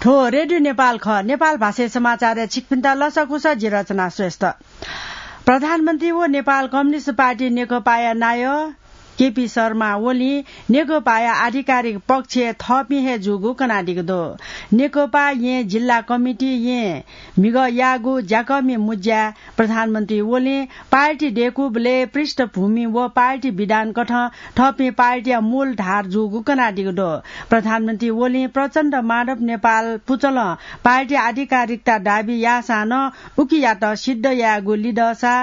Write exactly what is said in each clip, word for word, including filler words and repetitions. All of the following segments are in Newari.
थ्व रेडियो नेपाल खः। नेपाल भाषाय् समाचारय् छिकपिन्त लसकुस, जि रचना श्रेष्ठ। प्रधानमन्त्री व नेपाल कम्युनिस्ट पार्टी नेकपाया नायः केपी शर्मा ओलीं नेकपाया आधिकारिक पक्ष थःपिं हे जूगु कनादीगु दु। नेकपा येँ जिल्ला कमिटी येँ म्हिगः याःगु ज्याकःमि मुँज्याय् प्रधानमन्त्री ओलीं पार्टी दय्‌कूबलय् पृष्ठभूमि व पार्टी विधानकथं थःपिं पार्टीया मूल धार जूगु कनादीगु दु। प्रधानमन्त्री ओलीं प्रचण्ड माधव नेपाल पुचलं पार्टी आधिकारिकता दाबी याःसां नं उकियात सिद्ध यायेगु लिधःसा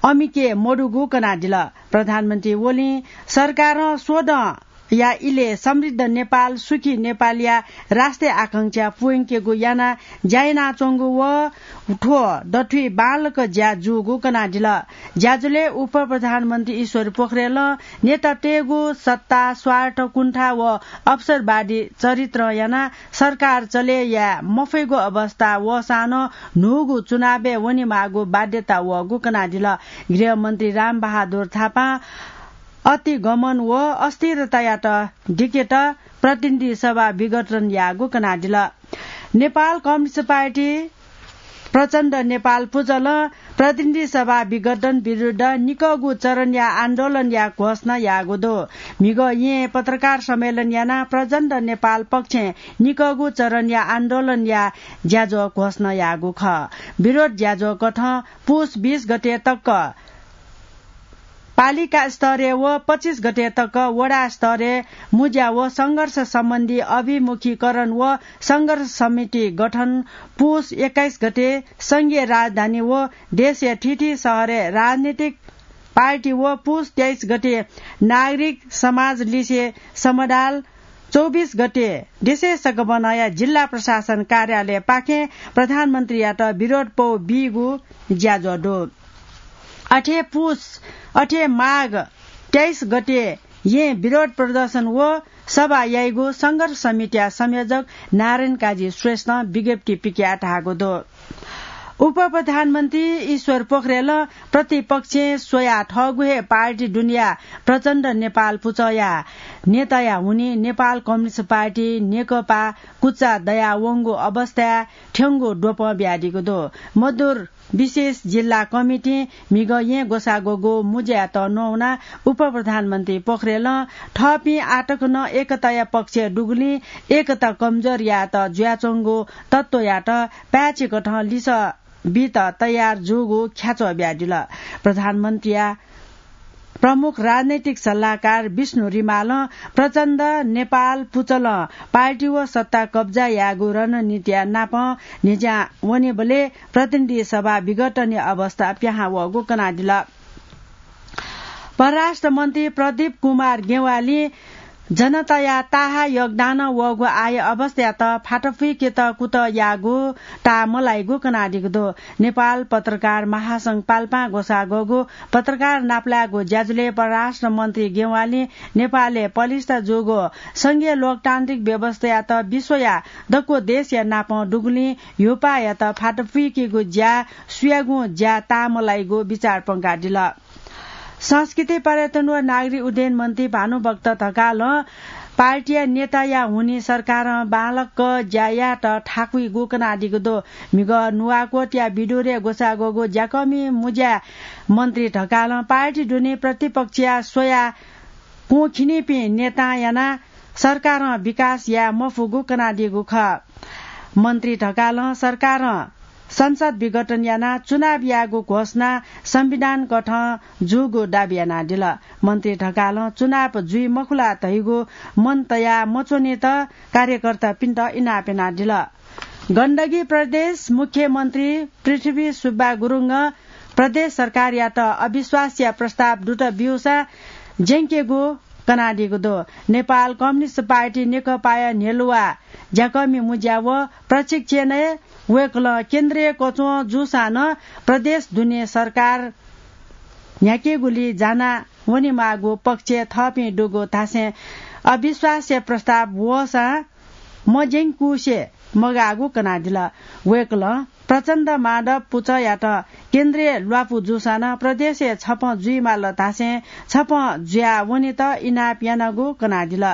अमिके मदुगु कनादिल। प्रधानमन्त्री ओलीं सरकारं स्वदँया इलय् समृद्ध नेपाल, सुखी नेपालया राष्ट्रिय आकांक्षा पूवंकेगु यानाः ज्या यानाच्वंगु व थ्व दथुइ बांलाक ज्या जूगु कनादिल। ज्याझ्वलय् उपप्रधानमन्त्री ईश्वर पोखरेलं नेतातय्‌गु सत्ता, स्वार्थ, कुण्ठा व अवसरवादी चरित्रं यानाः सरकार चले याये मफइगु अवस्था वःसां नं न्हूगु चुनावय् वनेमाःगु बाध्यता वःगु कनादिल। गृहमन्त्री रामबहादुर थापां अतिगमन व अस्थिरतायात दिकेत प्रतिनिधि सभा विघटन याःगु कनादिल। नेपाल कम्युनिस्ट पार्टी प्रचण्ड नेपाल पुचलं प्रतिनिधि सभा विघटन विरुद्ध निकःगु चरणया आन्दोलनया घोषणा याःगु दु। म्हिगः येँ पत्रकार सम्मेलन यानाः प्रचण्ड नेपाल पक्षं निकःगु चरणया आन्दोलनया ज्याझ्वः घोषणा याःगु खः। विरोध ज्याझ्वः कथं पुस बीस गते तक पालिका स्तरय् व पच्चिस गते तक वडा स्तरय् मुँज्या व संघर्ष सम्बन्धी अभिमुखीकरण व संघर्ष समिति गठन, पुस एक्काइस गते संघीय राजधानी व देशया थीथी शहरय् राजनीतिक पार्टी व पुस तेइस गते नागरिक समाज लिसे समदाल, चौबिस गते देशय् सकभनया जिल्ला प्रशासन कार्यालयपाखें प्रधानमन्त्रीयात विरोध पौ बीगु ज्याझ्वः दु। अथे पुस, अथे माघ तेइस गते येँ विरोध प्रदर्शन व सभा याइगु संघर्ष समितिया संयोजक नारायण काजी श्रेष्ठं विज्ञप्ति पिकयाः धाःगु दु। उपप्रधानमन्त्री ईश्वर पोखरेलं प्रतिपक्षं स्वयाः थःगु हे पार्टी दुनेया प्रचण्ड नेपाल पुचःया नेताया हुनिं नेपाल कम्युनिस्ट पार्टी नेकपा कुचा दयावंगु अवस्थाय् थ्यंगु द्वपं बियादीगु दु। मदुर विशेष जिल्ला कमिटिं म्हिगः येँ ग्वसाः ग्वःगु मुँज्यायात नवानाः उपप्रधानमन्त्री पोखरेलं थःपिं आःतक नं एकताया पक्षय् दुगुलिं एकता कमजोर यायेत जुयाच्वंगु तत्त्वयात पाय्‌छि कथं लिसः बीत तयार जूगु ख्याच्वः बियादिल। प्रधानमन्त्रीया प्रमुख राजनैतिक सल्लाहकार विष्णु रिमालं प्रचण्ड नेपाल पुचलं पार्टी व सत्ता कब्जा यायेगु रणनीतिया नापं न्हिज्यां वनेबलय् प्रतिनिधि सभा विघटनया अवस्था पिहां वःगु कनादिल। परराष्ट्र मन्त्री प्रदीप कुमार गेवालीं जनताया ताःहाः योगदानं वःगु आःया अवस्थायात फातफुइकेत कुतः याःगु ताः मलाइगु कनादीगु दु। नेपाल पत्रकार महासंघ पाल्पां ग्वसाः ग्वःगु पत्रकार नापलायेगु ज्याझ्वलय् परराष्ट्र मन्त्री गेवालीं नेपालय् पलिस्था जूगु संघीय लोकतान्त्रिक व्यवस्थायात विश्वया दक्व देशया नापं दुगुलिं ह्यूपाःयात फातफुइकेगु ज्या सुयागुं ज्या ताः मलाइगु बिचाः प्वंकादिल। संस्कृति, पर्यटन व नागरिक उड्डयन मन्त्री भानुभक्त ढकालं पार्टीया नेताया हुनिं सरकारं बांलाक ज्या यायेत थाकुइगु कनादीगु दु। म्हिगः नुवाकोटया विदुरय् ग्वसाः ग्वःगु ज्याकःमि मुँज्याय् मन्त्री ढकालं पार्टी दुने प्रतिपक्षया स्वयाः कुंखिनिपिं नेतां यानाः सरकारं विकास याये मफुगु कनादीगु खः। मन्त्री ढकालं सरकारं संसद विघटन यानाः चुनाव यायेगु घोषणा संविधान कथं जूगु दाबी यानादिल। मन्त्री ढकालं चुनाव जुइ मखु ला धइगु मन तयाः मच्वनेत कार्यकर्तापिन्त इनाप यानादिल। गण्डकी प्रदेश मुख्यमन्त्री पृथ्वी सुब्बा गुरुङं प्रदेश सरकारयात अविश्वासया प्रस्ताव दुत ब्यूसां ज्यंकेगु कनादीगु दु। नेपाल कम्युनिस्ट पार्टी नेकपाया न्ह्यलुवा ज्याकःमि मुँज्या व प्रशिक्षणय् वय्कलं केन्द्रीय कच्वं जूसां नं प्रदेश दुने सरकार न्ह्याकेगुली जाना वनेमाःगु पक्षय् थःपिं दुगु धासें अविश्वासया प्रस्ताव वःसां मज्यंकुसे मगाःगु कनादिल। वय्कलं प्रचण्ड माधव पुचःयात केन्द्रीय ल्वापु जूसां नं प्रदेशय् छपं जुइमाल धासें छपं जुया वनेत इनाप यानागु कनादिल।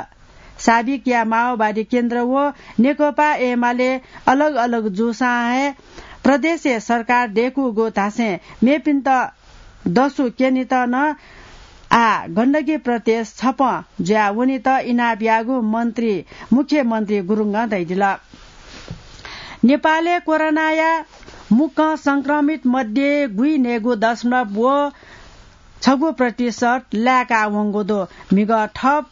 साबिकया माओवादी केन्द्र व नेकपा एमाले अलग अलग जूसां हे प्रदेशय् सरकार दय्कूगु धासें मेपिन्त दसु क्यनेत नं आः गण्डकी प्रदेश छपं जुया वनेत इनाप याःगु मन्त्री, मुख्यमन्त्री गुरुङं धयादिल। नेपालय् कोरोनाया मुक्कं संक्रमित मध्ये गुइन्हय्गू दशमलव व छगू प्रतिशत लाय्का वंगु दु। म्हिगः थप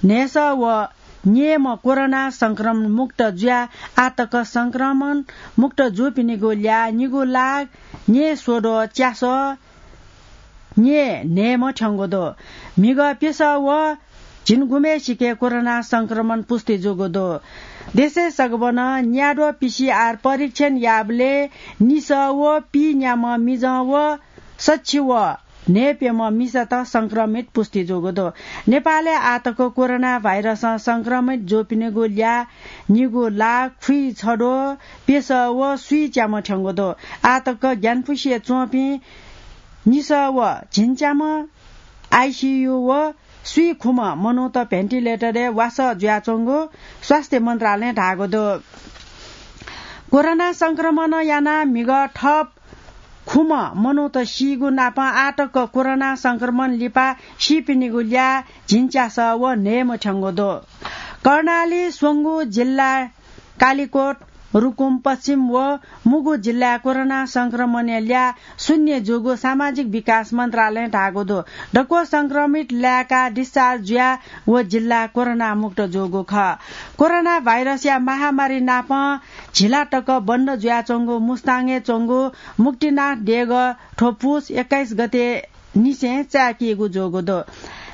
न्हय्सः व न्यय्म्ह कोरोना संक्रमण मुक्त जुया आः तक संक्रमण मुक्त जूपिनिगु ल्याः निगू लाख न्यय्स्वद्वः च्यासः न्यय्न्हय्म्ह थ्यंगु दु। म्हिगः प्यसः व झिंगुम्हय्सिके कोरोना संक्रमण पुष्टि जूगु दु। देशय् सगबनं न्याद्वः पीसीआर परीक्षण याःबलय् निसः व पीन्याम्ह मिजं व सछि व न्हय्प्यम्ह मिसात संक्रमित पुष्टि जूगु दु। नेपालय् आः तक कोरोना भाइरसं संक्रमित जूपिनिगु ल्याः निगू लाख खुइछद्वः प्यसः व स्वीच्याम्ह थ्यंगु दु। आः तक ग्यानापुसें च्वंपिं निसः व झिंच्याम्ह आइसीयू व स्वीखुम्ह मनूत भेन्टिलेटरय् वासः जुयाच्वंगु स्वास्थ्य मन्त्रालयं धाःगु दु। कोरोना संक्रमणं यानाः म्हिगः थप खुम्ह मनूत सीगु नापं आः तक कोरोना संक्रमण लिपा सीपिनिगु ल्याः झिंच्यासः व न्हय्म्ह थ्यंगु दु। कर्णाली, स्वंगू जिल्ला कालिकोट, रुकुम पश्चिम व मुगु जिल्लाय् कोरोना संक्रमणया ल्याः शून्य जूगु सामाजिक विकास मन्त्रालयं धाःगु दु। दक्व संक्रमित लाय्काः discharge जुया व जिल्ला कोरोना मुक्त जूगु खः। कोरोना भाइरसया महामारी नापं झिला तक बन्द जुयाच्वंगु मुस्ताङय् च्वंगु मुक्तिनाथ देगः थ्व पुस एक्काइस गते निसें चाय्कीगु जूगु दु।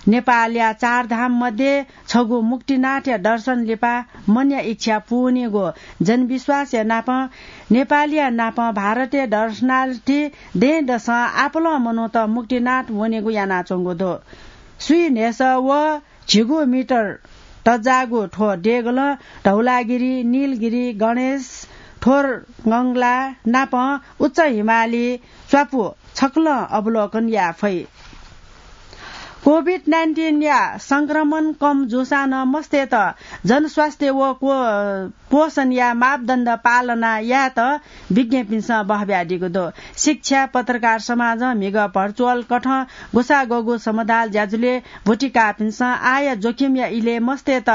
नेपालया चार धाम मध्ये छगू मुक्तिनाथया दर्शन लिपा मनया इच्छा पूवनीगु जनविश्वासया नापं नेपालया नापं भारतय् दर्शनार्थी दँय्दसं आपालं मनूत मुक्तिनाथ वनेगु यानाच्वंगु दु। स्वीन्हय्सः व झिगू मिटर तज्जाःगु थ्व देगलं धौलागिरी, नीलगिरी, गणेश, थोरगंगला नापं उच्च हिमाली च्वापु छकलं अवलोकन याये फइ। कोभिड नाइन्टिनया संक्रमण कम जूसां नं मस्तय्त जनस्वास्थ्य व को-, पोषणया मापदण्ड पालना यायेत विज्ञपिन्सं बहब्यादीगु दु। शिक्षा, पत्रकार समाजं म्हिगः भर्चुअल कथं गुसागःगु समदाल ज्याझ्वलय् ब्वति काःपिन्सं आःया जोखिमया इलय् मस्तय्त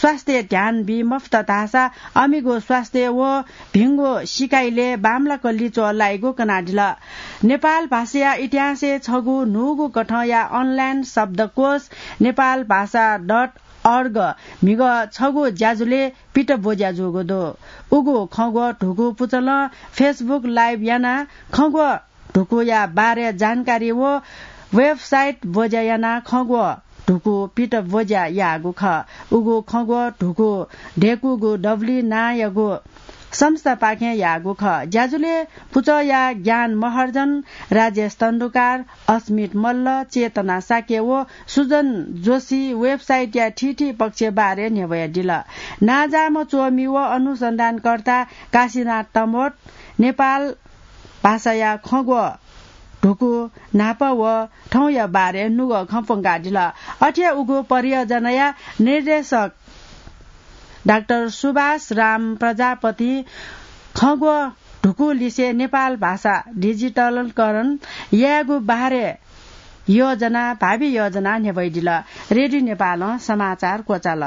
स्वास्थ्य ध्यान बी मफुत धाःसा अमिगु स्वास्थ्य व भिंगु सिकाइलय् बांमलाक लिच्वः लाइगु कनादिल। नेपाल भाषाया इतिहासय् छगू न्हूगु कथंया online शब्दकोश नेपाल भाषा dot org म्हिगः छगू ज्याझ्वलय् पित ब्वज्या जूगु दु। उगु खँग्वः धुकू पुचलं Facebook live यानाः खँग्वः धुकूया बारे जानकारी व website ब्वज्या यानाः खँग्वः धुकू पित ब्वज्या याःगु खः। उगु खँग्वः धुकू दय्कूगु दबुलिइ नांयागु संस्थापाखें याःगु खः। ज्याझ्वलय् पुचःया ज्ञान महर्जन, राजेश तण्डुकार, अस्मित मल्ल, चेतना शाक्य व सुजन जोशी website या थीथी पक्ष बारे न्ह्यब्वयादिल। नांजाःम्ह च्वमि व अनुसन्धानकर्ता काशीनाथ तमोट नेपाल भाषाया खँग्वः धुकू न्हापा व थौंया बारे नुगः खँ प्वंकादिल। अथे उगु परियोजनाया निर्देशक डाक्टर सुभाष राम प्रजापतिं खँग्वः धुकू लिसे नेपाल भाषा डिजिटलीकरण यायेगु बारे योजना, भावी योजना न्ह्यब्वयादिल। रेडियो नेपालं समाचार क्वचाल।